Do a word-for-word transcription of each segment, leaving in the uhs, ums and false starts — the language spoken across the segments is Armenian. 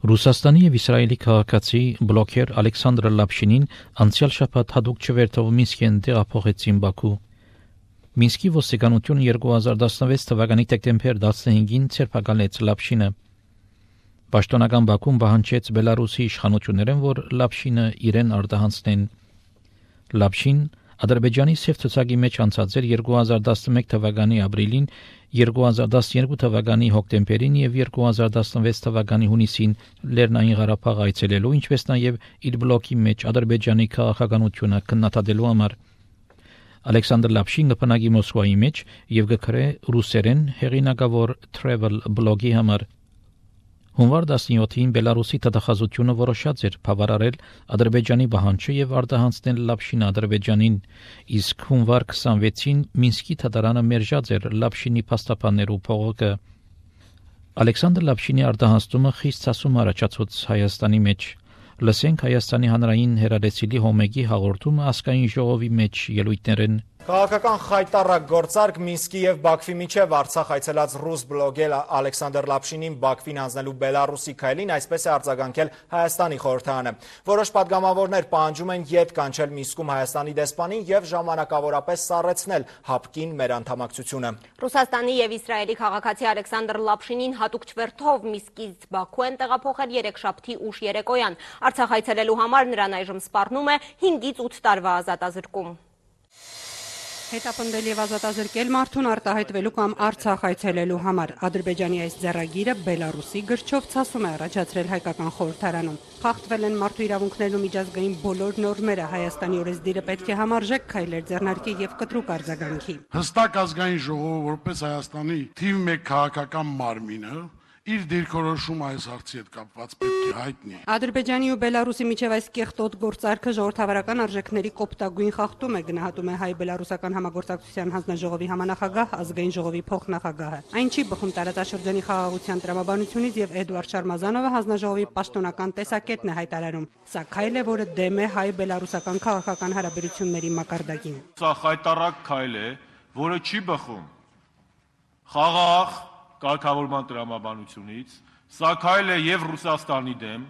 Ռուսաստանի և Իսրայելի քաղաքացի բլոգեր Ալեքսանդր Լապշինին անցյալ շաբաթ հատուկ չվերթով Մինսկեն տեղափոխեցին Բաքու։ Մինսկի ոստիկանությունը երկու հազար տասնվեց թվականի դեկտեմբեր տասնհինգին ցերպակալեց Լապշինը։ Պաշտոնական Բաքուն պահանջեց Բելարուսի իշխանություններին, որ Լապշինը իրեն արտահանցնեն։ Լապշին Ադրբեջանի սև ցուցակի մեջ անցած էր երկու հազար տասնմեկ թվականի ապրիլին, երկու հազար տասնյոթ թվականի հոկտեմբերին եւ երկու հազար տասնվեց թվականի հունիսին Լեռնային Ղարաբաղ այցելելու, ինչպես նաեւ իր բլոգի մեջ Ադրբեջանի քաղաքականությունը քննադատելու համար։ Ալեքսանդր Լապշինը բնակի Մոսկվայի մեջ եւ գրե ռուսերեն հեղինակավոր travel բլոգի համար։ Հունվար տասնյոթին Բելարուսի դատախազությունը որոշած էր բավարարել Ադրբեջանի պահանջը եւ արտահանցնել Լապշինը Ադրբեջանին, իսկ հունվար քսանվեցին Մինսկի դատարանը մերժած էր Լապշինի փաստաբաններու փողոքը։ Ալեքսանդր Լապշինի արտահանցումը խիստ ցասում առաջացած Հայաստանի մեջ։ Լսենք Հայաստանի հանրային հեռադեսիլի Հոմեգի հաղորդումը ազգային ժողովի մեջ ելույթներեն։ Քաղաքական խայտառակ գործարք Մինսկի եւ Բաքվի միջև Արցախ այցելած ռուս բլոգեր Ալեքսանդր Լապշինին Բաքվին հանձնելու Բելարուսի քայլին այսպես է արձագանքել Հայաստանի խորհրդարանը։ Որոշ պատգամավորներ պահանջում են ետ կանչել Մինսկում Հայաստանի դեսպանին եւ ժամանակավորապես սառեցնել հապկին մեր անդամակցությունը։ Ռուսաստանի եւ Իսրայելի քաղաքացի Ալեքսանդր Լապշինին հատուկ չվերթով Մինսկից Բաքու են տեղափոխել երեքշաբթի ուշ երեկոյան։ Արցախ այցելելու համար նրան այժմ սպառնում է հինգից ութ տարվա ազատազրկում։ Հետապնդել եւ ազատազրկել մարդուն արտահայտվելու կամ Արցախ այցելելու համար Ադրբեջանի այս ձեռագիրը Բելարուսի գրչով ցասում է առաջացրել հայկական խորհրդարանում։ Խախտվել են մարդու իրավունքներու միջազգային բոլոր նորմերը, Հայաստանի օրենսդիրը պետք է համարժեք քայլեր ձեռնարկի եւ կտրուկ արձագանքի։ Հստակ ազգային ժողովը որպես Հայաստանի թիվ մեկ քաղաքական մարմինը իր դիրքորոշումը այս հարցի հետ կապված պետք է հայտնի։ Ադրբեջանի ու Բելարուսի միջև այս կեղտոտ գործարքը ժողովրդավարական արժեքների կոպտագույն խախտում է, գնահատում է հայ-բելարուսական համագործակցության հանձնաժողովի համանախագահ, ազգային ժողովի փոխնախագահը։ Այն չի բխում տարածաշրջանի խաղաղության տրամաբանությունից եւ Էդուարդ Շարմազանովը հանձնաժողովի պաշտոնական տեսակետն է հայտարարում։ Սա քայլ է, որը դեմ է հայ-բելարուսական քաղաքական հարաբերությունների մակարդակին։ Սա խայտառակ քայլ է, որը չի բխում խաղաղ կարգավորման տրամաբանությունից, սա քայլ է եւ Ռուսաստանի դեմ,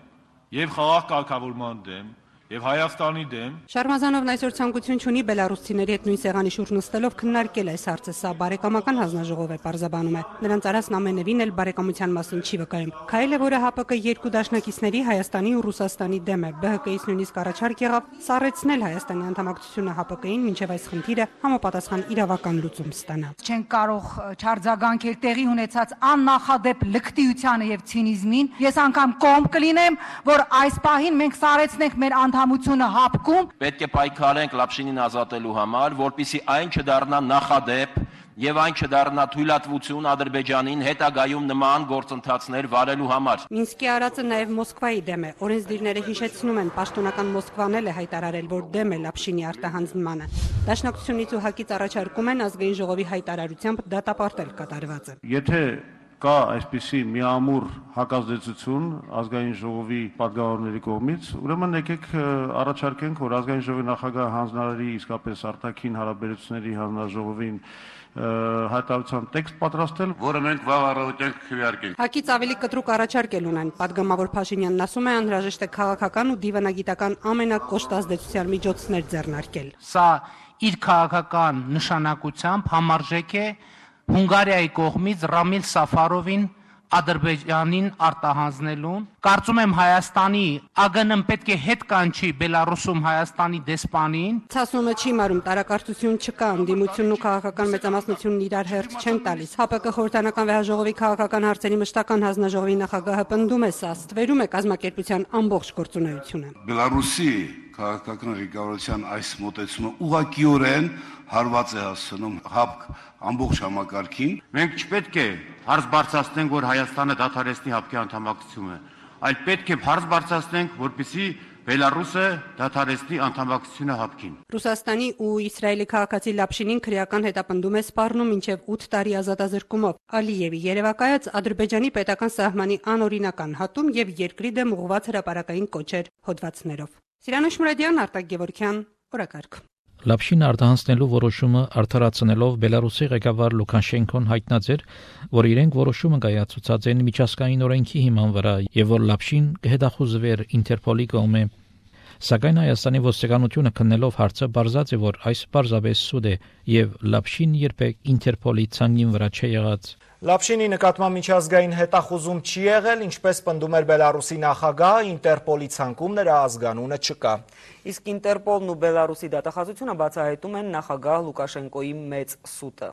եւ խաղաղ կարգավորման դեմ, եւ Հայաստանի դեմ։ Շարմազանովն այսօր ցանկություն չունի բելարուսցիների հետ նույն սեղանի շուրջ նստելով քննարկել այս հարցը, սա բարեկամական հանձնաժողով է, պարզաբանում է։ Նրանց արածն ամենևին էլ բարեկամության մասին չի վկայում։ Քայլ է, որը ՀԱՊԿ երկու դաշնակիցների Հայաստանի ու Ռուսաստանի դեմ է։ ԲՀԿ-ից նույնիսկ առաջարկ եղավ սառեցնել Հայաստանի անդամակցությունը ՀԱՊԿ-ին, մինչև այս խնդիրը համապատասխան իրավական լուծում ստանա։ Չեն կարող չարձագանքել տեղի ունեցած աննախադեպ լկտիությանը եւ ցինիզմին։ Ես անգամ կողմ կլինեմ, որ այս պահին մենք սառեցնենք մեր անդամությունը ՀԱՊԿ-ում։ Պետք է պայքարենք Լապշինին ազատելու համար, որպեսզի այն չդառնա նախադեպ եւ այն չդառնա թույլատվություն Ադրբեջանին հետագայում նման գործընթացներ վարելու համար։ Մինսկի արածը նաեւ Մոսկվայի դեմ է։ Օրենսդիրները հիշեցնում են, պաշտոնական Մոսկվան էլ է հայտարարել, որ դեմ է Լապշինի արտահանձնմանը։ Դաշնակցությունից ու ՀԱԿ-ից առաջարկում են ազգային ժողովի հայտարարությամբ դատապարտել կատարվածը։ Եթե կա այսպիսի միամուռ հակազդեցություն ազգային ժողովի պատգամավորների կողմից, ուրեմն եկեք առաջարկենք, որ ազգային ժողովի նախագահ հանձնարարի իսկապես արտաքին հարաբերությունների հանձնաժողովին հայտարարության տեքստ պատրաստել, որը մենք վաղ առավոտյան քվեարկենք։ ՀԱԿ-ից ավելի կտրուկ առաջարկել ունեն։ Պատգամավոր Փաշինյանն ասում է, անհրաժեշտ է քաղաքական ու դիվանագիտական ամենակոշտ միջոցներ ձեռնարկել։ Սա իր քաղաքական նշանակությամբ համարժեք է Հունգարիայի կողմից Ռամիլ Սաֆարովին Ադրբեջանին արտահանձնելուն։ Կարծում եմ Հայաստանի ԱԳՆ-ն պետք է հետ կանչի Բելարուսում Հայաստանի դեսպանին։ Ցասումը չի մարում, տարակարծություն չկա, ընդդիմությունն ու քաղաքական մեծամասնությունն իրար հերթ չեն տալիս։ ՀԱՊԿ խորհրդանական վեհաժողովի քաղաքական հարցերի մշտական հանձնաժողովի նախագահը պնդում է, սա ստվերում է կազմակերպության ամբողջ գործունեությունը։ Բելարուսի քաղաքական ղեկավարության այս մոտեցումը ուղղակիորեն հարված է հասցնում ՀԱՊԿ ամբողջ համակարգին։ Մենք չպետք է հարց բարձրացնենք, որ Հայաստանը դադարեցնի ՀԱՊԿ-ի անդամակցությունը, այլ պետք է հարց բարձրացնենք, որպեսզի Բելարուսը դադարեցնի անդամակցությունը ՀԱՊԿ-ին։ Ռուսաստանի ու Իսրայելի քաղաքացի Լապշինին քրեական հետապնդում է սպառնում մինչև ութ տարի ազատազրկումով։ Ալիևի երևակայած Ադրբեջանի պետական սահմանի անօրինական հատում եւ երկրի դեմ ուղղված հրապարակային կոչեր հոդվածներով։ Սիրանուշ Մուրադյան, Արտակ Գևորգյան, օրակարգ։ Լապշին արտահանձնելու որոշումը արդարացնելով Բելարուսի ղեկավար Լուկաշենկոն հայտնած էր, որ իրենք որոշումը կայացուցած են միջազգային օրենքի հիման վրա եւ որ Լապշին կհետախուզվեր Ինտերպոլի կողմէ։ Սակայն Հայաստանի ոստիկանությունը քննելով հարցը բարձած է, որ այս պարզապես սուտ է եւ Լապշին երբեք Ինտերպոլի ցանկին վրա չի եղած։ Լապշինի նկատմամբ միջազգային հետախուզում չի եղել, ինչպես պնդում էր Բելարուսի նախագահը, Ինտերպոլի ցանկում նրա ազգանունը չկա։ Իսկ Ինտերպոլն ու Բելարուսի դատախազությունը բացահայտում են նախագահ Լուկաշենկոյի մեծ սուտը։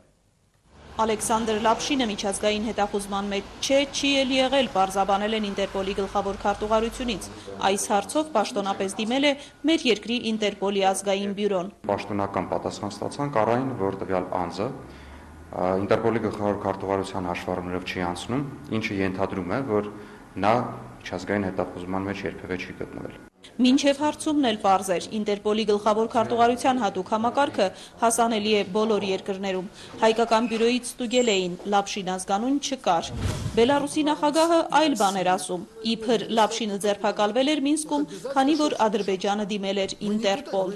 Ալեքսանդր Լապշինը միջազգային հետախուզման մեջ չէ, չի էլ եղել, պարզաբանել են Ինտերպոլի գլխավոր քարտուղարությունից։ Այս հարցով պաշտոնապես դիմել է մեր երկրի Ինտերպոլի ազգային բյուրոն։ Պաշտոնական պատասխան ստացանք առայն, որ տվյալ անձը Ինտերպոլի գլխավոր քարտուղարության հաշվառումներով չի անցնում, ինչը ենթադրում է, որ նա միջազգային հետախուզման մեջ երբևէ չի գտնվել։ Մինչև հարցումն էլ պարզ էր, Ինտերպոլի գլխավոր քարտուղարության հատուկ համակարգը հասանելի է բոլոր երկրներում։ Հայկական բյուրոյից ստուգել էին, Լապշին ազգանուն չկար։ Բելարուսի նախագահը այլ բան էր ասում, իբր Լապշինը ձերբակալվել էր Մինսկում, քանի որ Ադրբեջանը դիմել էր Ինտերպոլ։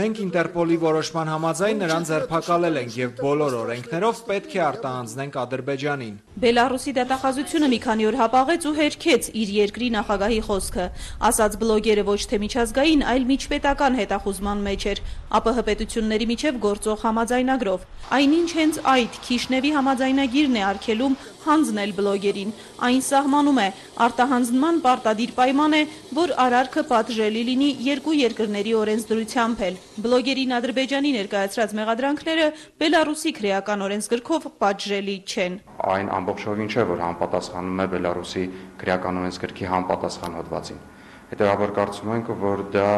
Մենք Ինտերպոլի որոշման համաձայն նրան ձերբակալել ենք եւ բոլոր օրենքներով պետք է արտահանձնենք Ադրբեջանին։ Բելարուսի դատախազությունը մի քանի օր հապաղեց ու հերքեց իր երկրի նախագահի խոսքը։ Ասաց բլոգերը ոչ թե միջազգային, այլ միջպետական հետախուզման մեջ էր, ԱՊՀ պետությունների միջև գործող համաձայնագրով։ Այնինչ հենց այդ Քիշնևի համաձայնագիրն է արգելում հանձնել բլոգերին։ Այն սահմանում է, արտահանձնման պարտադիր պայման է, որ արարքը պատժելի լինի երկու երկրների օրենսդրությամբ էլ։ Բլոգերին Ադրբեջանի ներկայացրած մեղադրանքները Բելարուսի քրեական օրենսգրքով պատժելի չեն։ Այն ամբողջովին չէ, որ համապատասխանում է Բելարուսի քրեական օրենսգրքի համապատասխան հոդվածին։ Հետևաբար կարծում ենք, որ դա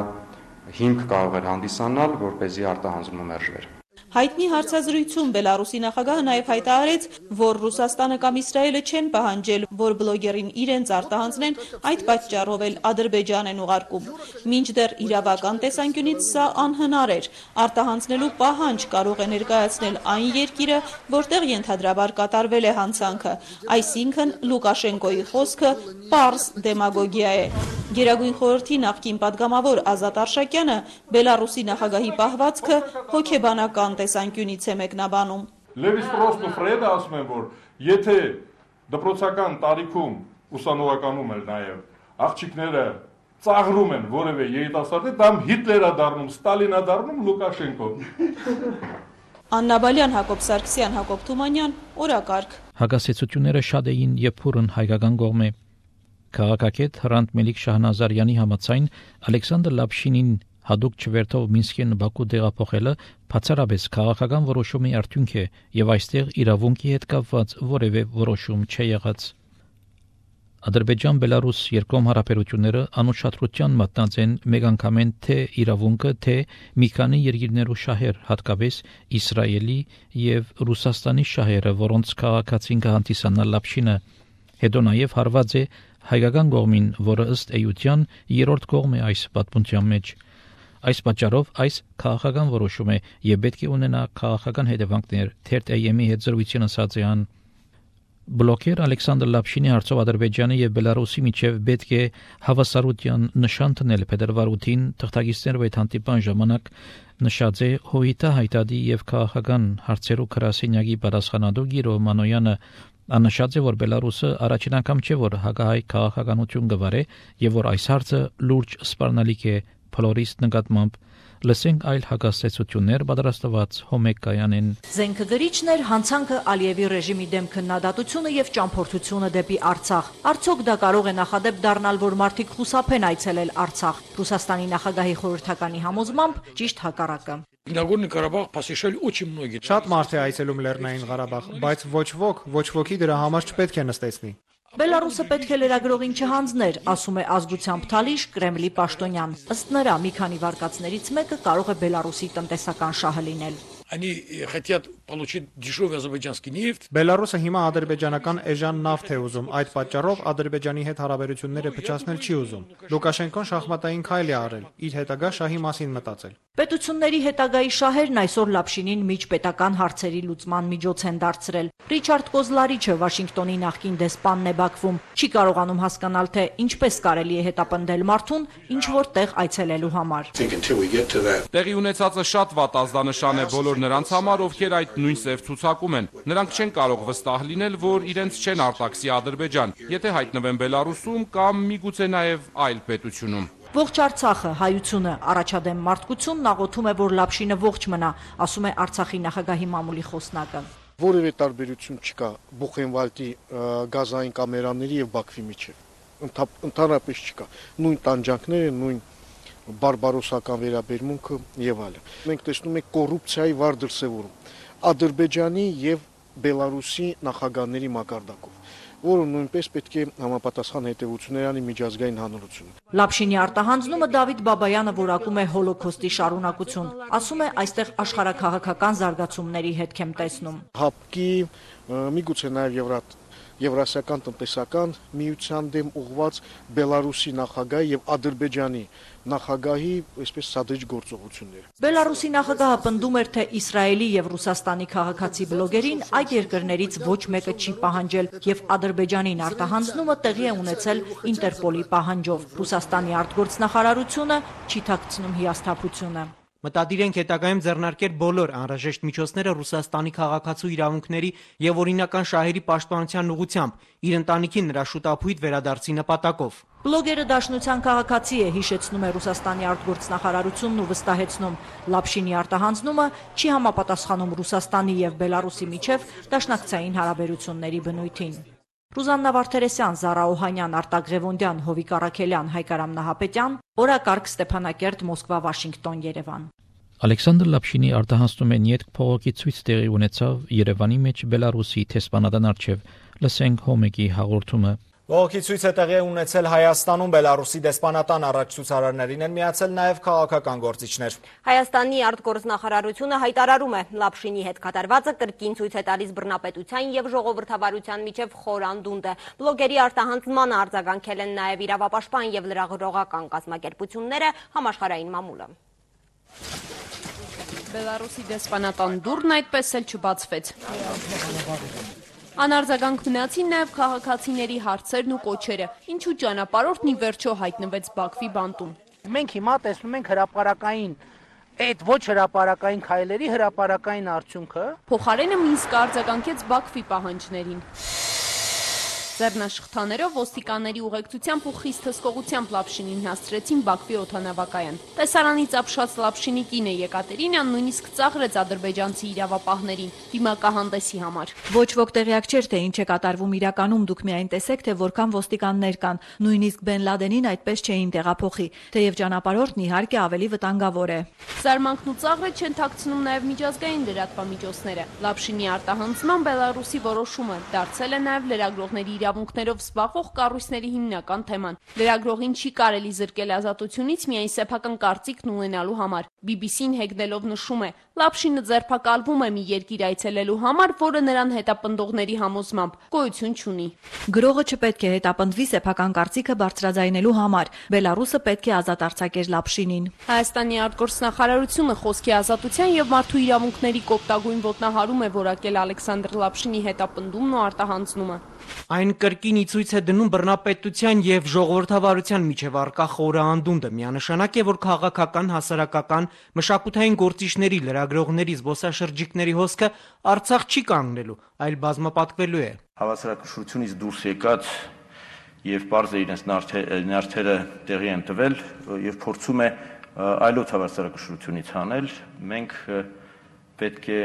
հիմք կարող էր հանդիսանալ, որպեսզի արտահանձնումը մերժվեր։ Հայտնի հարցազրույցում Բելարուսի նախագահը նաև հայտարարեց, որ Ռուսաստանը կամ Իսրայելը չեն պահանջել, որ բլոգերին իրենց արտահանձնեն, այդ պատճառով էլ Ադրբեջան են ուղարկում։ Մինչդեռ իրավական տեսանկյունից սա անհնար էր։ Արտահանձնելու պահանջ կարող է ներկայացնել այն երկիրը, որտեղ ենթադրաբար կատարվել է հանցանքը, այսինքն Լուկաշենկոյի խոսքը պարզ դեմագոգիա է։ Գերագույն խորհրդի նախկին падգամավոր Ազատ Արշակյանը Բելարուսի նախագահի պահվածքը հոգեբանական տեսանկյունից է մեկնաբանում։ Լևի-Ստրոսն ու Ֆրեդը ասում են, որ եթե դպրոցական տարիքում ուսանողականում էլ նաև աղջիկները ծաղրում են որևէ երիտասարդի, դա Հիտլերա դառնում, Ստալինա դառնում, Լուկաշենկո։ Աննա Բալյան, Հակոբ Սարգսյան, Հակոբ Թումանյան, օրակարգ։ Հակասեցությունները շատ էին եւ փուրն հայկական կողմէ։ Քաղաքագետ Հրանտ Մելիք Շահնազարյանի համաձայն Ալեքսանդր Լապշինին հadoop չվերթով Մինսկեն Բաքու տեղափոխելը բացառապես քաղաքական որոշումի արդյունք է եւ այստեղ իրավունքի հետ կապված որևէ որոշում չի եղած։ Ադրբեջան-Բելարուս երկկողմ հարաբերությունները անուշադրության մատնած են մեկ անգամեն թե իրավունքը, թե մի քանի երկիրներու շահեր, հատկապես Իսրայելի եւ Ռուսաստանի շահերը, որոնց քաղաքացին կհանդիսանա Լապշինը։ Հետո նաեւ հարված է հայկական կողմին, որը ըստ էության երրորդ կողմ է այս պատմության մեջ։ Այս պատճառով այս քաղաքական որոշում է եւ պետք է ունենա քաղաքական հետևանքներ, թերթ է եմի հետ զրույցին ասած է ան։ Բլոգեր Ալեքսանդր Լապշինի հարցով Ադրբեջանի եւ Բելարուսի միջև պետք է հավասարության նշան տնել փետրվար ութին թղթակիցներով այդ հանդիպան ժամանակ նշած է Հոյիտա հայտարարի եւ քաղաքական հարցերու քրասենյակի պատասխանատու Գիրո Մանոյանը աննշած է, որ Բելարուսը առաջին անգամ չէ, որ հակահայ քաղաքականություն գվարե եւ որ այս հարցը լուրջ սպառնալիք է փլորիստ նկատմամբ։ Լսենք այլ հակասեցություններ պատրաստված Հոմեկ Կայանեն։ Զենքը գրիչն էր հանցանքը Ալիևի ռեժիմի դեմ քննադատությունը եւ ճամփորդությունը դեպի Արցախ։ Արդյոք դա կարող է նախադեպ դառնալ, որ մարդիկ խուսափեն այցելել Արցախ։ Ռուսաստանի նախագահի խորհրդականի համոզմամբ ճիշտ հակառակը։ Նագորնի Ղարաբաղ посещали очень многие. Շատ մարդ է այցելում Լեռնային Ղարաբաղ, բայց ոչ ոք, ոչ ոքի դրա համար չպետք է նստեցնի։ Բելարուսը պետք է լրագրողին չհանձներ, ասում է ազգությամբ Թալիշ Կրեմլի պաշտոնյան։ Ըստ նրա, մի քանի վարկածներից մեկը կարող է Բելարուսի տնտեսական շահը լինել։ Они хотят получить дешевый азербайджанский нефть. Բելարուսը հիմա ադրբեջանական էժան նավթ է ուզում, այդ պատճառով Ադրբեջանի հետ հարաբերությունները փչացնել չի ուզում։ Լուկաշենկոն շախմատային քայլ է արել, իր հետագա շահի մասին մտածել։ Պետությունների հետագայի շահերն այսօր Լապշինին միջպետական հարցերի լուծման միջոց են դարձրել։ Ռիչարդ Կոզլարիչը Վաշինգտոնի նախկին դեսպանն է Բաքվում, չի կարողանում հասկանալ, թե ինչպես կարելի է հետապնդել մարդուն ինչ որ տեղ այցելելու համար։ Տեղի ունեցածը շատ վատ ազդանշան է բոլոր նրանց համար, ովքեր այդ նույն սև ցուցակում են։ Նրանք չեն կարող վստահ լինել, որ իրենց չեն արտաքսի Ադրբեջան, եթե հայտնվեն Բելարուսում կամ միգուցե նաև այլ պետությունում։ Ողջ Արցախը, հայությունը, առաջադեմ մարդկությունն աղոթում է, որ Լապշինը ողջ մնա, ասում է Արցախի նախագահի մամուլի խոսնակը։ Որևէ տարբերություն չկա Բուխենվալդի գազային կամերաների եւ Բաքվի միջեւ։ Ընդհանրապես չկա։ Նույն տանջանքները, նույն բարբարոսական վերաբերմունքը եւ այլն։ Մենք տեսնում ենք կոռուպցիայի վառ դրսեւորում Ադրբեջանի եւ Բելարուսի նախագահների մակարդակով, որը նույնպես պետք է համապատասխան հետևություններ անի միջազգային հանրությունը։ Լապշինի արտահանձնումը Դավիթ Բաբայանը որակում է հոլոքոստի շարունակություն, ասում է այստեղ աշխարհաքաղաքական զարգացումների հետք եմ տեսնում։ Հապկի, միգուցե նաև Եվրատ Եվրասիական տնտեսական միության դեմ ուղղված Բելարուսի նախագահի եւ Ադրբեջանի նախագահի այսպես սադրիչ գործողությունները։ Բելարուսի նախագահը պնդում էր, թե Իսրայելի եւ Ռուսաստանի քաղաքացի բլոգերին այդ երկրներից ոչ մեկը չի պահանջել եւ Ադրբեջանին արտահանձնումը տեղի է ունեցել Ինտերպոլի պահանջով։ Ռուսաստանի արտգործնախարարությունը չի թաքցնում հիասթափությունը։ Մտադիր ենք հետագայում ձեռնարկել բոլոր անհրաժեշտ միջոցները Ռուսաստանի քաղաքացու իրավունքների եւ օրինական շահերի պաշտպանության ուղղությամբ իր ընտանիքին նրա շուտապույտ վերադարձի նպատակով։ Բլոգերը դաշնության քաղաքացի է, հիշեցնում է Ռուսաստանի արտգործնախարարությունն ու վստահեցնում, Լապշինի արտահանձնումը չի համապատասխանում Ռուսաստանի եւ Բելարուսի միջև դաշնակցային հարաբերությունների բնույթին։ Ռուզաննա Վարդերեսյան, Զարա Օհանյան, Արտակ Ղևոնդյան, Հովիկ Առաքելյան, Հայկարամ Նահապետյան, օրակարգ Ստեփանակերտ, Մոսկվա, Վաշինգտոն, Երևան։ Ալեքսանդր Լապշինի արտահանձնումն յետք փողոքի ցույց տեղի ունեցավ Երևանի մեջ Բելարուսի տեսփանատան առջև։ Լսենք Հոմեկի հաղորդումը։ Բողոքի ցույցը տեղի ունեցել Հայաստանում, Բելարուսի դեսպանատան առաջացուցարարներին են միացել նաև քաղաքական գործիչներ։ Հայաստանի արտգործնախարարությունը հայտարարում է, Լապշինի հետ կատարվածը կրկին ցույց է տալիս բռնապետության եւ ժողովրդավարության միջև խոր անդունդ է։ Բլոգերի արտահանձնմանը արձագանքել են նաև իրավապաշտպան եւ լրագրողական կազմակերպությունները, համաշխարհային մամուլը։ Բելարուսի դեսպանատան դուռն այդպես էլ չբացվեց։ Անարձագանք մնացին նաև քաղաքացիների հարցերն ու կոչերը, ինչու ճանապարհորդն ի վերջո հայտնվեց Բաքվի բանտում։ Մենք հիմա տեսնում ենք հրապարակային, այդ ոչ հրապարակային քայլերի հրապարակային արդյունքը։ Փոխարենը Մինսկը արձագանքեց Բաքվի պահանջներին։ Ձեռնաշխտաներով ոստիկանների ուղեկցությամբ ու խիստ հսկողությամբ Լապշինին հասցրեցին Բաքվի օդանավակայան։ Տեսարանից ապշած Լապշինի կինը Եկատերինան նույնիսկ ծաղրեց ադրբեջանցի իրավապահներին դիմակահանդեսի համար։ Ոչ ոք տեղյակ չէր, թե ինչ է կատարվում իրականում, դուք միայն տեսեք, թե որքան ոստիկաններ կան, նույնիսկ Բեն Լադենին այդպես չէին տեղափոխի, թեև ճանապարհորդն իհարկե ավելի վտանգավոր է։ Զարմանքն ու ծաղրը չեն թաքցնում նաև միջազգային լրատվամիջոցները։ Լապշինի արտահանձնման Բելարուսի որոշումը դարձել է նաև լրագրողների իրավունքներով զբաղվող կառույցների հիմնական թեման։ Լրագրողին չի կարելի զրկել ազատությունից միայն սեփական կարծիքն ունենալու համար։ բի բի սին հեգնելով նշում է, Լապշինը ձերբակալվում է մի երկիր այցելելու համար, որը նրան հետապնդողների համոզմամբ գոյություն չունի։ Գրողը չպետք է հետապնդվի սեփական կարծիքը բարձրաձայնելու համար։ Բելարուսը պետք է ազատ արձակեր Լապշինին։ Հայաստանի արտգործնախարարությունը խոսքի ազատության եւ մարդու իրավունքների կոպտագույն ոտնահարում է որակել Ալեքսանդր Լապշինի հետապնդումն ու արտահանձնումը։ Այն կրկին ի ցույց է դնում բռնապետության եւ ժողովրդավարության միջև առկա խորը անդունդը։ Միանշանակ է, որ քաղաքական, հասարակական, մշակութային գործիչների, լրագրողների, զբոսաշրջիկների հոսքը Արցախ չի կանգնելու, այլ բազմապատկվելու է։ Հավասարակշռությունից դուրս եկած եւ պարզ է իրենց նյարդերը տեղի են տվել եւ փորձում է այլոց հավասարակշռությունից հանել։ Մենք պետք է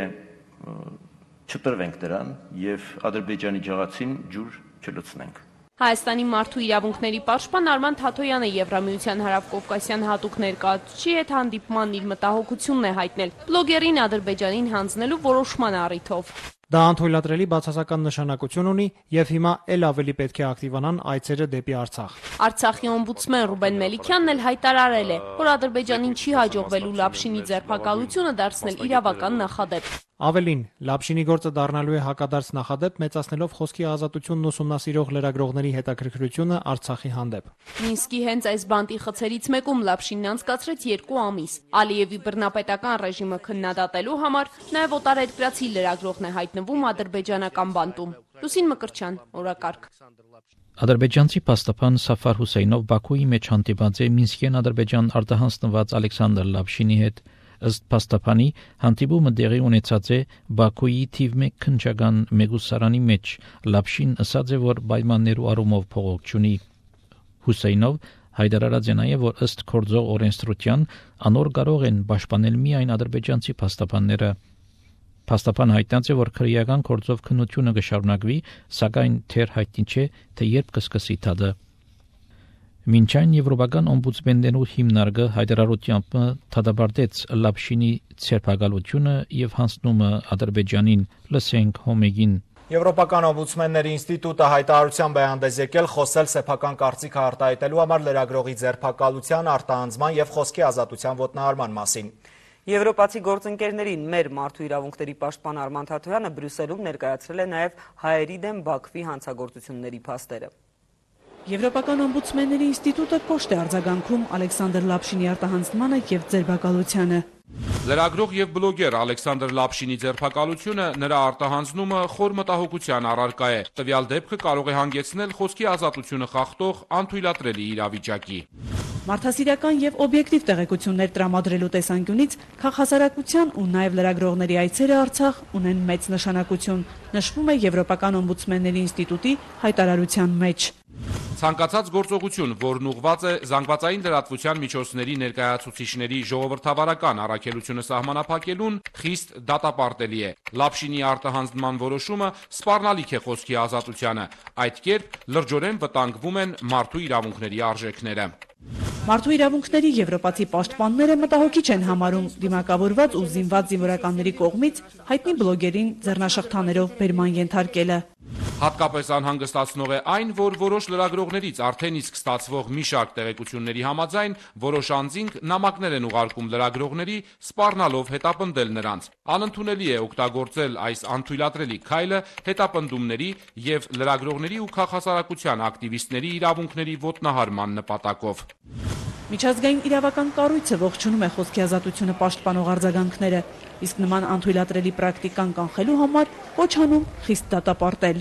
չտրվենք դրան եւ Ադրբեջանի ջղացին ջուր չլցնենք։ Հայաստանի մարդու իրավունքների պաշտպան Արման Թաթոյանը Եվրամիության հարավկովկասյան հատուկ ներկայացուցիչի հետ հանդիպման իր մտահոգությունն է հայտնել բլոգերին Ադրբեջանին հանձնելու որոշման առիթով։ Դա անթույլատրելի բացասական նշանակություն ունի եւ հիմա ել ավելի պետք է ակտիվանան այցերը դեպի Արցախ։ Արցախի օմբուդսմեն Ռուբեն Մելիքյանն էլ հայտարարել է, որ Ադրբեջանին չի հաջողվելու Լապշինի ձերբակալությունը դարձնել իրավական նախադեպ։ Ավելին, Լապշինի գործը դառնալու է հակադարձ նախադեպ, մեծացնելով խոսքի ազատությունն ուսումնասիրող լրագրողների հետաքրքրությունը Արցախի հանդեպ։ Մինսկի հենց այս բանտի խցերից մեկում Լապշինն անցկացրեց երկու ամիս։ Ալիևի բռնապետական ռեժիմը քննադատելու համար նաև օտարերկրացի լրագրողն է հայտնվում ադրբեջանական բանտում։ Լուսին Մկրտչյան, օրակարգ։ Ադրբեջանցի փաստաբան Սաֆար Հուսեյնով Բաքուի մեջ հանդիպած է Մինսկեն Ադրբեջան արտահանձնված Ալեքսանդր Լապշինի հետ։ Ըստ փաստաբանի, հանդիպումը տեղի ունեցած է Բաքուի թիվ մեկ քննչական մեգուսարանի մեջ։ Լապշին ասաց է, որ պայմաններու առումով փողոք չունի։ Հուսեյնով հայտարարած է նաև, որ ըստ կորձող օրենսդրության անոր կարող են պաշտպանել միայն ադրբեջանցի փաստաբանները։ Փաստաբան հայտնած է, որ քրեական կորձով քննությունը կշարունակվի, սակայն թեր հայտնի չէ, թե երբ կսկսի դատը։ Մինչ այն Եվրոպական օմբուդսմեններու հիմնարկը հայտարարությամբ դատապարտեց Լապշինի ցերպակալությունը եւ հանձնումը Ադրբեջանին, լսենք Հոմեգին։ Եվրոպական օմբուդսմենների ինստիտուտը հայտարարությամբ է հանդես եկել խոսել սեփական կարծիքը արտահայտելու համար լրագրողի ձերբակալության, արտահանձման եւ խոսքի ազատության ոտնահարման մասին։ Եվրոպացի գործընկերներին մեր մարդու իրավունքների պաշտպան Արման Թաթոյանը Բրյուսելում ներկայացրել է նաև հայերի դեմ Բաքվի հանցագործությունների փաստերը։ Եվրոպական օմբուդսմենների ինստիտուտը կոշտ է արձագանքում Ալեքսանդր Լապշինի արտահանձնմանը եւ ձերբակալությանը։ Լրագրող եւ բլոգեր Ալեքսանդր Լապշինի ձերբակալությունը, նրա արտահանձնումը խոր մտահոգության առարկա է։ Տվյալ դեպքը կարող է հանգեցնել խոսքի ազատությունը խախտող անթույլատրելի իրավիճակի։ Մարդասիրական եւ օբյեկտիվ տեղեկություններ տրամադրելու տեսանկյունից քաղաքասարակության ու նաեւ լրագրողների այցերը Արցախ ունեն մեծ նշանակություն, նշվում է Եվրոպական օմբուդսմենների ինստիտուտի հայտարարության մեջ։ Ցանկացած գործողություն, որն ուղղված է զանգվածային լրատվության միջոցների ներկայացուցիչների ժողովրդավարական առաքելությունը սահմանափակելուն, խիստ դատապարտելի է։ Լապշինի արտահանձնման որոշումը սպառնալիք է խոսքի ազատությանը։ Այդ կերպ լրջորեն վտանգվում են մարդու իրավունքների արժեքները։ Մարդու իրավունքների եվրոպացի պաշտպանները մտահոգիչ են համարում դիմակավորված ու զինված զինվորականների կողմից հայտնի բլոգերին ձեռնաշղթաներով բերման ենթարկելը։ Հատկապես անհանգստացնող է այն, որ որոշ լրագրողներից արդեն իսկ ստացվող մի շարք տեղեկությունների համաձայն որոշ անձինք նամակներ են ուղարկում լրագրողների, սպառնալով հետապնդել նրանց։ Անընդունելի է օգտագործել այս անթույլատրելի քայլը հետապնդումների եւ լրագրողների ու քաղաքասարակության ակտիվիստների իրավունքների ոտնահարման նպատակով։ Միջազգային իրավական կառույցը ողջունում է խոսքի ազատությունը պաշտպանող արձագանքները, իսկ նման անթույլատրելի պրակտիկան կանխելու համար կոչ անում խիստ դատապարտել։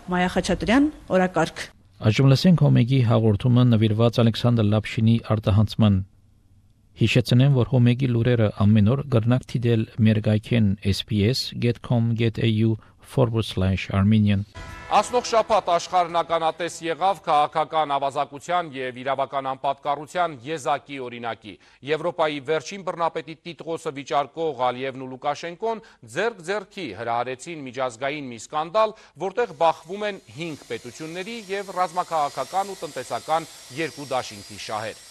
Մայա Խաչատրյան, օրակարգ։ Այժմ լսենք Հոմեգի հաղորդումը նվիրված Ալեքսանդր Լապշինի արտահանձնման։ Հիշեցնեմ, որ Հոմեգի լուրերը ամեն օր կրնակ դիտել մեր գայքեն s b s dot com dot a u forward slash armenian։ Անցնող շաբաթ աշխարհն ականատես եղավ քաղաքական ավազակության եւ իրավական անպատկառության եզակի օրինակի։ Եվրոպայի վերջին բռնապետի տիտղոսը վիճարկող Ալիևն ու Լուկաշենկոն ձեռք-ձեռքի հրահարեցին միջազգային մի սկանդալ, որտեղ բախվում են հինգ պետությունների եւ ռազմաքաղաքական ու տնտեսական երկու դաշինքի շահեր։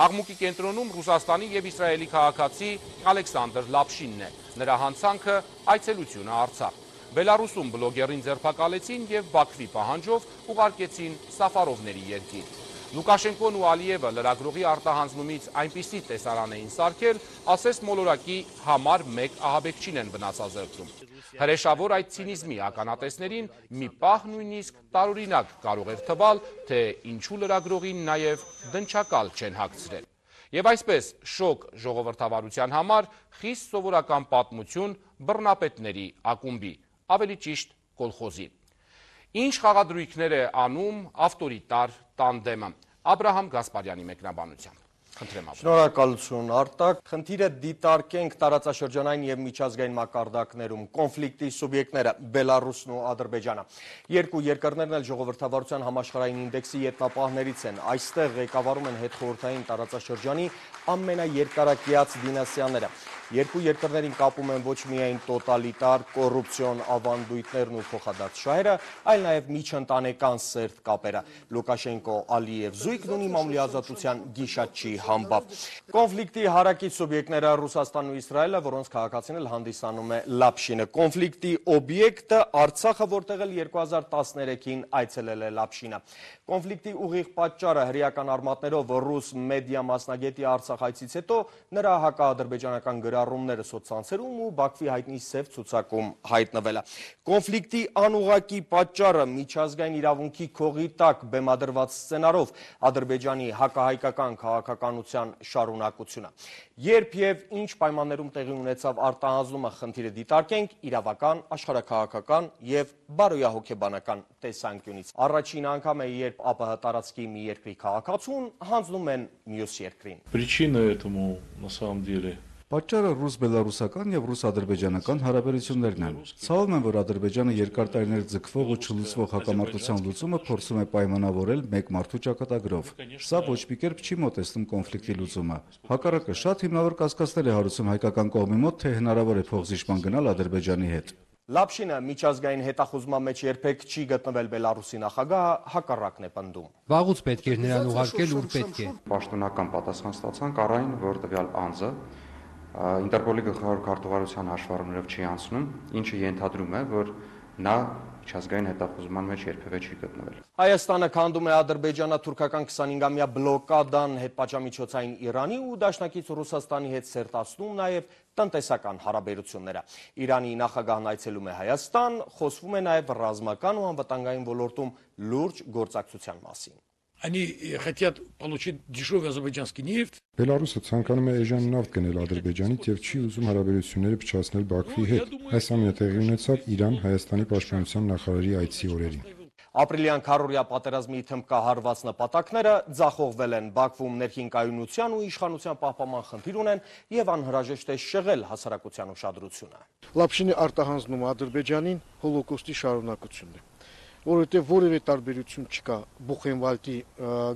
Աղմուկի կենտրոնում Ռուսաստանի եւ Իսրայելի քաղաքացի Ալեքսանդր Լապշինն է։ Նրա հանցանքը այցելությունը Արցախ։ Բելարուսում բլոգերին ձերբակալեցին եւ Բաքվի պահանջով ուղարկեցին Սաֆարովների երկիր։ Լուկաշենկոն ու Ալիևը լրագրողի արտահանձնումից այնպիսի տեսարան էին սարքել, ասես մոլորակի համար մեկ ահաբեկչին են վնասազերծում։ Հրեշավոր այդ ցինիզմի ականատեսներին մի պահ նույնիսկ տարօրինակ կարող էր թվալ, թե ինչու լրագրողին նաեւ դնչակալ չեն հագցրել։ Եվ այսպես շոկ ժողովրդավարության համար խիստ սովորական պատմություն բռնապետների ակումբի, ավելի ճիշտ կոլխոզի։ Ինչ խաղադրույքներ է անում ավտորիտար տանդեմը։ Աբրահամ Գասպարյանի մեկնաբանությամբ։ Խնդրեմ Աբրահամ։ Շնորհակալություն Արտակ։ Խնդիրը դիտարկենք տարածաշրջանային եւ միջազգային մակարդակներում կոնֆլիկտի սուբյեկտները Բելարուսն ու Ադրբեջանը։ Երկու երկրներն էլ ժողովրդավարության համաշխարհային ինդեքսի ետնապահներից են։ Այստեղ ղեկավարում են հետխորհրդային տարածաշրջանի ամենաերկարակյաց դինաստիաները։ Երկու երկրներին կապում են ոչ միայն տոտալիտար կոռուպցիոն ավանդույթներն ու փոխադարձ շահերը, այլ նաև միջընտանեկան սերտ կապերը։ Լուկաշենկո-Ալիև զույգն ունի մամուլի ազատության գիշատչի համբավ։ Կոնֆլիկտի հարակից սուբյեկտները Ռուսաստանն ու Իսրայելը, որոնց քաղաքացին էլ հանդիսանում է Լապշինը։ Կոնֆլիկտի օբյեկտը Արցախը, որտեղ էլ երկու հազար տասներեքին այցելել է Լապշինը։ Կոնֆլիկտի ուղիղ պատճառը հրեական արմատներով ռուս մեդիա մասնագետի Արցախ այցից հետո նրա հակաադրբեջանական գրառումները սոցցանցերում ու Բաքվի հայտնի սև ցուցակում հայտնվելը։ Կոնֆլիկտի անուղղակի պատճառը միջազգային իրավունքի քողի տակ բեմադրված սցենարով Ադրբեջանի հակահայկական քաղաքականության շարունակությունը։ Երբ եւ ինչ պայմաններում տեղի ունեցավ արտահանձնումը, խնդիրը դիտարկենք իրավական, աշխարհաքաղաքական եւ բարոյահոգեբանական տեսանկյունից։ Առաջին անգամ է, երբ ԱՊՀ տարածքի մի երկրի քաղաքացուն հանձնում են մյուս երկրին։ Причина этому на самом деле Պատճառը ռուս-բելարուսական եւ ռուս-ադրբեջանական հարաբերություններն են։ Ցավում եմ, որ Ադրբեջանը երկար տարիներ ձգվող ու չլուծվող հակամարտության լուծումը փորձում է պայմանավորել մեկ մարդու ճակատագրով։ Սա ոչ մի կերպ չի մոտեցնում կոնֆլիկտի լուծումը։ Հակառակը շատ հիմնավոր կասկածներ է հարուցում հայկական կողմի մոտ, թե հնարավոր է փոխզիջման գնալ Ադրբեջանի հետ։ Լապշինը միջազգային հետախուզման մեջ երբեք չի գտնվել Բելարուսի նախագահը, հակառակն է պնդում։ Վաղուց պետք էր նրան ուղարկել, ուր պետք է։ Պաշտոնական պատասխան ստացանք առ այն, որ տվյալ անձը Ինտերպոլի գլխավոր քարտուղարության հաշվառումներով չի անցնում, ինչը ենթադրում է, որ նա միջազգային հետախուզման մեջ երբևէ չի գտնվել։ Հայաստանը քանդում է ադրբեջանա-թուրքական քսանհինգամյա բլոկադան հետպատժամիջոցային Իրանի ու դաշնակից Ռուսաստանի հետ սերտացնում նաև տնտեսական հարաբերությունները։ Իրանի նախագահն այցելում է Հայաստան, խոսվում է նաև ռազմական ու անվտանգային ոլորտում լուրջ գործակցության մասին։ Они хотят получить дешевый азербайджанский нефть. Բելարուսը ցանկանում է էժան նավթ գնել Ադրբեջանից եւ չի ուզում հարաբերությունները փչացնել Բաքվի հետ։ Այս ամենը տեղի ունեցավ Իրան-Հայաստանի պաշտպանության նախարարի այցի օրերին։ Ապրիլյան քառօրյա պատերազմի թմբկահարված նպատակները ձախողվել են, Բաքվում ներքին կայունության ու իշխանության պահպանման խնդիր ունեն եւ անհրաժեշտ է շեղել հասարակության ուշադրությունը։ Լապշինի արտահանձնումը Ադրբեջանին հոլոկոստի շարունակությունն է, որովհետև որևէ տարբերություն չկա Բուխենվալդի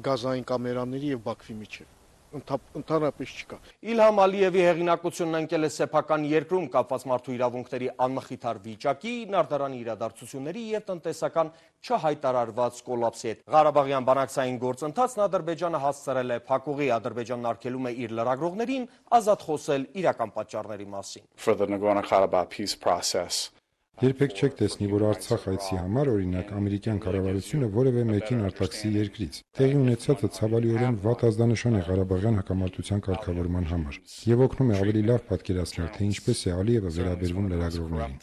գազային կամերաների եւ Բաքվի միջեւ։ Ընդհանրապես չկա։ Իլհամ Ալիևի հեղինակությունն ընկել է սեփական երկրում կապված մարդու իրավունքների անմխիթար վիճակի, Նարդարանի իրադարձությունների եւ տնտեսական չհայտարարված կոլապսի հետ։ Ղարաբաղյան բանակցային գործընթացն Ադրբեջանը հասցրել է փակուղի, Ադրբեջանն արգելում է իր լրագրողներին ազատ խոսել իրական պատճառների մասին։ For the Nagorno-Karabakh peace process. Երբեք չեք տեսնի, որ Արցախ այցի համար օրինակ ամերիկյան կառավարությունը որևէ մեկին արտաքսի երկրից։ Տեղի ունեցածը ցավալիորեն վատ ազդանշան է Ղարաբաղյան հակամարտության կարգավորման համար եւ օգնում է ավելի լավ պատկերացնել, թե ինչպես է Ալիևը վերաբերվում լրագրողներին։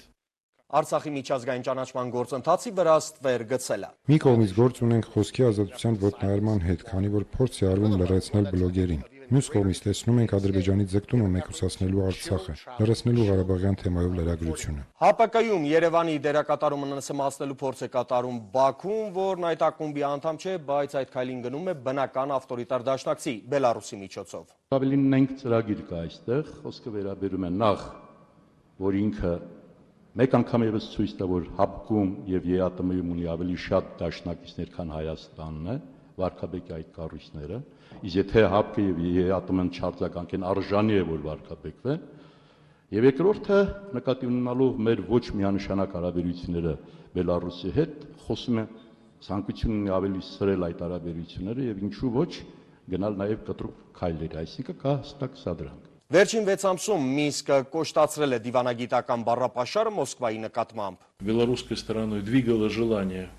Արցախի միջազգային ճանաչման գործընթացի վրա ստվեր գցելը։ Մի կողմից գործ ունենք խոսքի ազատության ոտնահարման հետ, քանի որ փորձ է արվում լրացնել բլոգերին։ Մյուս կողմից տեսնում ենք Ադրբեջանի ձգտումը մեկուսացնելու Արցախը, լրացնելու Ղարաբաղյան թեմայով լրագրությունը։ ՀԱՊԿ-ում Երևանի դերակատարումը նսեմացնելու փորձ է կատարում Բաքուն, որն այդ ակումբի անդամ չէ, բայց այդ քայլին գնում է բնական ավտորիտար դաշնակցի Բելարուսի միջոցով։ Ավելին ունենք ծրագիր կա այստեղ, խոսքը վերաբերում է նախ, որ ինքը մեկ անգամ եւս ցույց տա, որ ՀԱՊԿ-ում եւ ԵԱՏՄ-ում ունի ավելի շատ դաշնակիցներ, քան Հայաստանն է, վարկաբեկի այդ կառույցները, իսկ եթե ՀԱՊԿ-ը եւ ԵԱՏՄ-ն չարձագանքեն, արժանի է, որ վարկաբեկվեն, եւ երկրորդը նկատի ունենալով մեր ոչ միանշանակ հարաբերությունները Բելարուսի հետ, խոսում է ցանկություն ունի ավելի սրել այդ հարաբերությունները եւ ինչու ոչ գնալ նաեւ կտրուկ քայլերի, այսինքն կա հստակ սադրանք։ Վերջին վեց ամսում Մինսկը կոշտացրել է դիվանագիտական բառապաշարը Մոսկվայի նկատմամբ։ Белорусской стороной двигало желание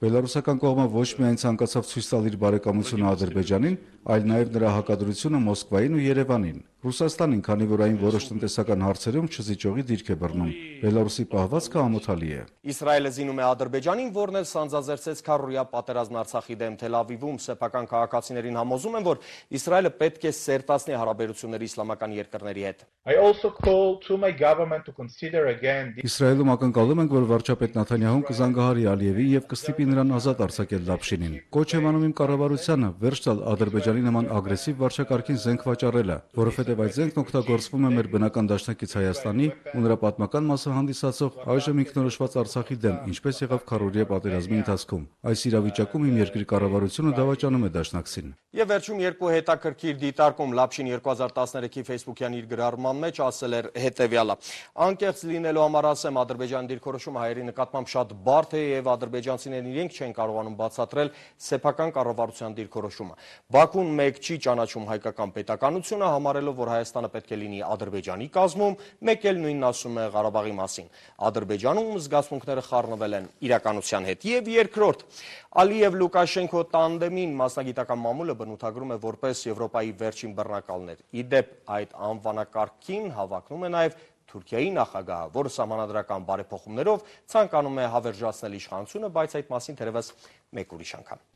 Բելարուսական կողմը ոչ միայն ցանկացավ ցույց տալ իր բարեկամությունը Ադրբեջանին, այլ նաև նրա հակադրությունը Մոսկվային ու Երևանին։ Ռուսաստանին, քանի որ այն որոշ տնտեսական հարցերում չզիջողի դիրք է բռնում, Բելարուսի պահվածքը ամոթալի է։ Իսրայելը զինում է Ադրբեջանին, որն էլ սանձազերծեց քառօրյա պատերազմն Արցախի դեմ Թել Ավիվում, սեփական քաղաքացիներին համոզում են, որ Իսրայելը պետք է սերտացնի հարաբերությունները իսլամական երկրների հետ։ I also call to my government to consider again Իսրայելում ակնկալում ենք, որ վարչապետ Նաթանյահուն կզանգահարի Ալիևի եւ կստիպի նրան ազատ արձակել Լապշինին։ Կոչ եմ անում իմ կառավարությանը վերջ տալ Ադրբեջանի նման ագրեսիվ վարչակարգին զենք վաճառելը, որովհետեւ այդ զենքն օգտագործվում է մեր բնական դաշնակից Հայաստանի ու նրա պատմական մասը հանդիսացող այժմ ինքնորոշված Արցախի դեմ, ինչպես եղավ քառօրյա պատերազմի ընթացքում։ Այս իրավիճակում իմ երկրի կառավարությունը դավաճանում է դաշնակցին։ Եվ վերջում երկու հետաքրքիր դիտարկում Լապշին երկու հազար տասներեքի Facebook-յան իր գրառման մեջ ասել էր հետևյալը. Անկեղծ լինելու համար ասեմ, Ադրբեջանի դիրքորոշումը հայերի նկատմամբ շատ բարդ է եւ ադրբեջանցիներն իրենք չեն կարողանում բացատրել սեփական կառավարության դիրքորոշումը։ Բաքուն մեկ չի ճանաչում հայկական պետականությունը, համարելով, որ Հայաստանը պետք է լինի Ադրբեջանի կազմում, մեկ էլ նույնն ասում է Ղարաբաղի մասին։ Ադրբեջանում զգացմունքները խառնվել են իրականության հետ։ Եվ երկրորդ, Ալիև-Լուկաշենկո տանդեմին մասնագիտական մամուլը բնութագրում է որպես Եվրոպայի վերջին բռնակալներ։ Ի դեպ, այդ անվանակարգին հավակնում է նաև Թուրքիայի նախագահը, որը սահմանադրական բարեփոխումներով ցանկանում է հավերժացնել իշխանությունը, բայց այդ մասին թերևս մեկ ուրիշ անգամ։